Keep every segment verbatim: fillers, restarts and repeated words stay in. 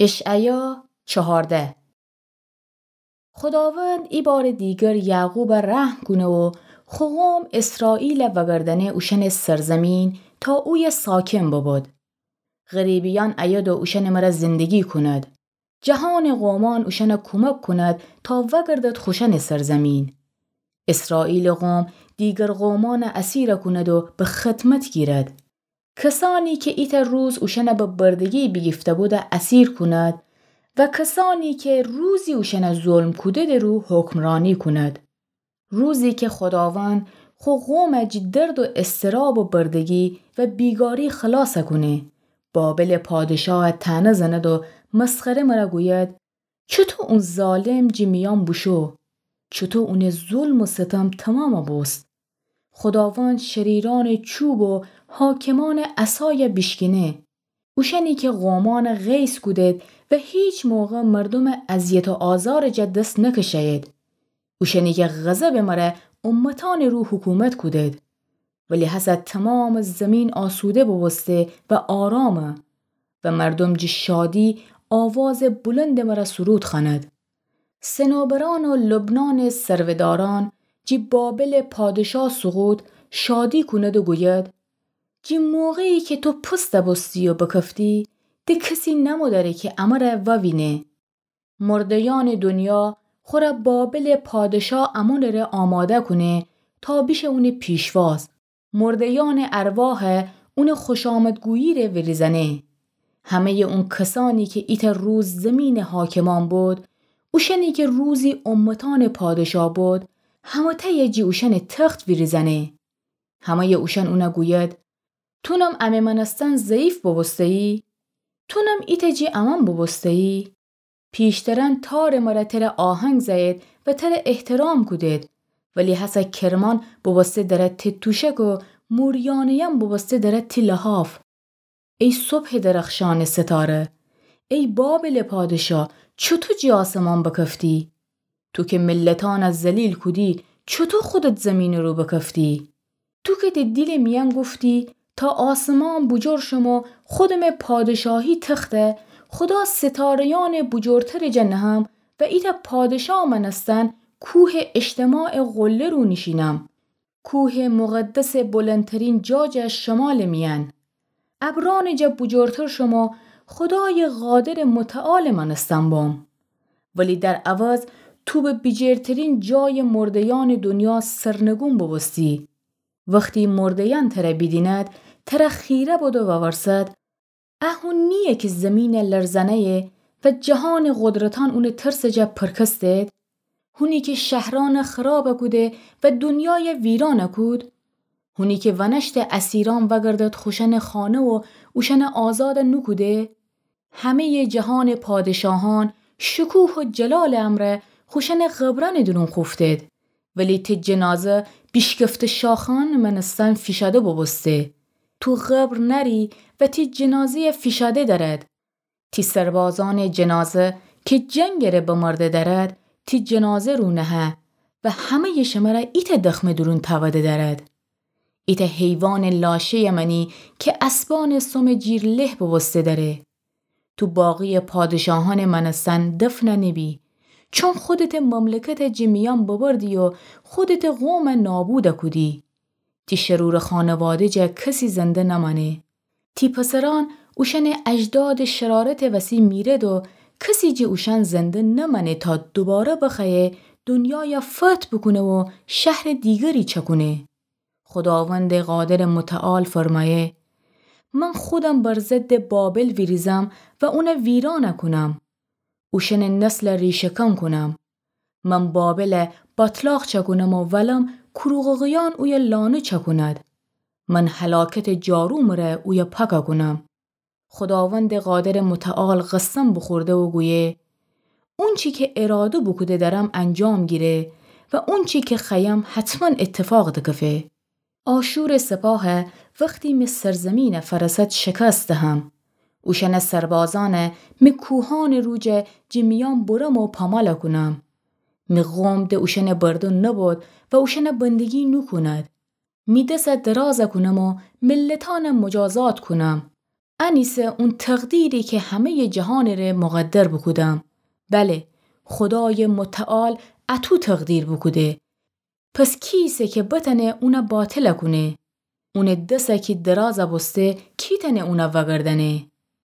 اشعیا چهارده. خوداوند ایبارٚ دیگر یعقوب رحم کونه و خو قوم اسرائیل وأگردأنه اوشأنٚ سرزمین تا اویه ساکن ببود. غریبیأن ایید و اوشأنٚ مره زندگی کند. جهانٚ قومأن اوشأنه کومک کند تا وأگردد خوشأنٚ سرزمین. اسرائیلٚ قوم دیگر قومأن اسیر کند و به خدمت گیرد. کسأنی کی ایتأ روز اوشأن به بردگی بیگیفته بوده اسیر کند و کسأنی کی روزی اوشأن ظلم کوده‌ده رو حکمرانی کند. روزی کی خوداوند خو قوم جٚه درد و اضطراب و بردگی و بیگاری خلاص کونه، بابلٚ پادشاه طعنه زند و مسخره مره گوید: چوطو اون ظالم جٚه میأن بوشو؟ چوطو اونٚ ظلم و ستم تمام بوست؟ خوداوند شریرأنٚ چوب و حاکمأنٚ عصای بیشکینه. اوشأنی کی قومأن قیس کودید و هیچ موقع مردومٚ اذیت و آزارٚ جا دس نکشه‌یید. اوشأنی کی غضبٚ مره امتأنٚ رو حکومت کودید. ولی هسه تمامٚ زمین آسوده بوبوسته و آرامه و مردوم جٚه شادی آوازٚ بلندٚ مره سرود خوأند. صنوبرأن و لبنانٚ ثروه‌دارأن جٚه بابلٚ پادشاه سقوط شادی کند و گوید: جٚه موقعی کی تو پوسته بوستی و بکفتی، ده کسی نمودأره کی امره ووینه. مرده‌یأنٚ دنیا خوره بابلٚ پادشاه امونٚ ره آماده کونه تا بیشه اونٚ پیشواز. مرده‌یأنٚ ارواح اونٚ خوشامدگویی ره ویریزأنه. همه‌یٚ اون کسأنی کی ایتأ روز زمینٚ حاکمأن بود، اوشأنی کی روزی امتأنٚ پادشاه بود، همه‌تأیه جٚه اوشأنٚ تخت ویریزأنه. همه‌یٚ اوشأن اونه گوید: تونم امه مأنستن ضعیف بوبوسته‌یی؟ تونم ایتأ جٚه امأن بوبوسته‌یی؟ پیشترأن تارٚ مره تره آهنگ زأیید و تره احترام کودید، ولی هسه کرمأن بوبوسته دره تتوشک و موریأنه‌یم بوبوسته دره تی لحاف. ای صبحٚ درخشانٚ ستاره، ای بابلٚ پادشاه، چوطو جٚه آسمان بکفتی؟ تو کی ملتأن ذلیل کودی، چوطو خودت زمینٚ رو بکفتی؟ تو کی ده دیلٚ میأن گفتی: تا آسمان بوجور شم و خودمٚ پادشاهی تخته خودا ستاره‌یأنٚ بوجورترٚ جا نهم و ایتأ پادشاه مأنستن کوهٚ اجتماعٚ قله رو نیشینم، کوهٚ مقدسٚ بلندترین جا جا شمالٚ میأن. ابرأنٚ جا بوجورتر شم و خودایٚ قادرٚ متعالٚ مأنستن بم. ولی در عوض تو به بیجیرترین جایٚ مرده‌یأنٚ دونیا سرنگون بوبوستی. وختی مرده‌یأن تره بیدیند، تره خیره بد و وورسد: ا هون نییه کی زمین لرزأنه‌یه و جهانٚ قدرتأن اونٚ ترسٚ جا پرکستید؟ هونی کی شهرأن خراب کوده و دونیای ویران کود؟ هونی کی ونشتٚ اسیرأن وأگردد خوشأنٚ خانه و اوشأن آزاد نوکوده؟ همه‌یٚ جهانٚ پادشاهأن شکوه و جلالٚ امرأ خوشأنٚ قبرأنٚ دورون خوفتید، ولی تی جنازه بیشکفته شاخأنٚ مأنستن فیشاده بوبوسته. تو قبر نأری و تی جنازه‌یه فیشاده دأرد. تی سربازأنٚ جنازه کی جنگٚ ره بمرده دأرد، تی جنازه رو نهه و همه‌یٚ شمره ایتأ دخمه دورون تأوده دأرد. ایتأ حیوانٚ لاشه‌یه مأنی کی اسبأنٚ سومٚ جیر له بوبوسته دأره. تو باقی‌یٚ پادشاهأنٚ مأنستن دفن نبی، چون خودتٚ مملکت جٚه میأن ببردی و خودتٚ قوم نابود کودی. تی شرورٚ خانواده جا کسی زنده نمأنه. تی پسرأن اوشأنٚ اجدادٚ شرارتٚ وسی میرد و کسی جٚه اوشأن زنده نمأنه تا دوباره بخوأیه دونیای فتح بوکونه و شهرٚ دیگری چکونه. خوداوندٚ قادرٚ متعال فرمأیه: من خودم بر ضدٚ بابل ویریزم و اون ویران کونم. اوشأنٚ نسل ریشه‌کن کونم. من بابل باتلاق چکونم و ولم کوروغوغیأن اویه لانه چکوند. من هلاکتٚ جارومٚ ره اویه پاک کونم. خوداوندٚ قادرٚ متعال قسم بوخورده و گویه: اونچی کی اراده بوکوده دأرم انجام گیره و اونچی کی خوأیم حتما اتفاق دکفه. آشورٚ سپاه وختی می سرزمین فأرسد شکست دهم. اوشأنٚ سربازأن می کوهأنٚ رو جا جٚه میأن برم و پامال کونم. می قوم د اوشأنٚ بردن نبود و اوشأن بندگی نوکوند. می دس دراز کونم و ملتأن مجازات کونم. انیسه اون تقدیری که همه‌یٚ جهانٚ ره مقدر بوکودم. بله، خودایٚ متعال اطو تقدیر بوکوده. پس کی ایسه که بتأنه اونَ باطل کونه؟ اونٚ دس کی دراز بوسته، کی تأنه اونَ وأگردأنه؟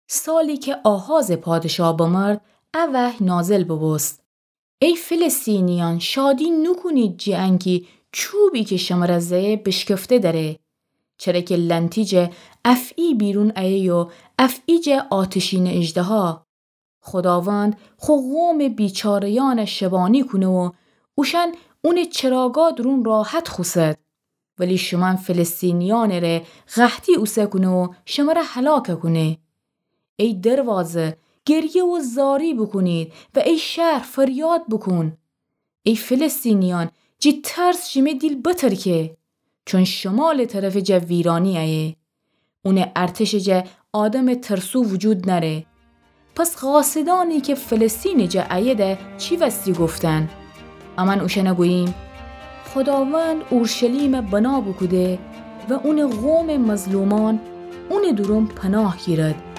سالی که آحازٚ پادشاه بمرد، ا وحی نازل بوبوست: ای فلسطینیأن، شادی نوکونید جٚه انکی چوبی که شمره زه‌یه بشکفته دره، چره که لأنتی جا افعی بیرون ایه و افعی جا آتشینٚ اژدها. خوداوند خو قومٚ بیچاره‌یأنَ شبانی کونه و اوشأن اونٚ چراگا دورون راحت خوسد. ولی شومأن فلسطینیأنٚ ره قحطی اوسه کونه و شمره هلاک کونه. ای دروازه، گریه و زاری بوکونید و ای شهر، فریاد بوکون. ای فلسطینیأن، جٚه ترس شیمه دیل بترکه، چون شمالٚ طرفٚ جا ویرانی ایه. اونٚ ارتشٚ جا آدمٚ ترسو وجود نأره. پس قاصدأنی که فلسطینٚ جا ایده چی وستی گفتن؟ امأن اوشأنَ گوییم: خوداوند اورشلیمَ بنا بوکوده و اونٚ قومٚ مظلومأن اونٚ دورون پناه گیرد.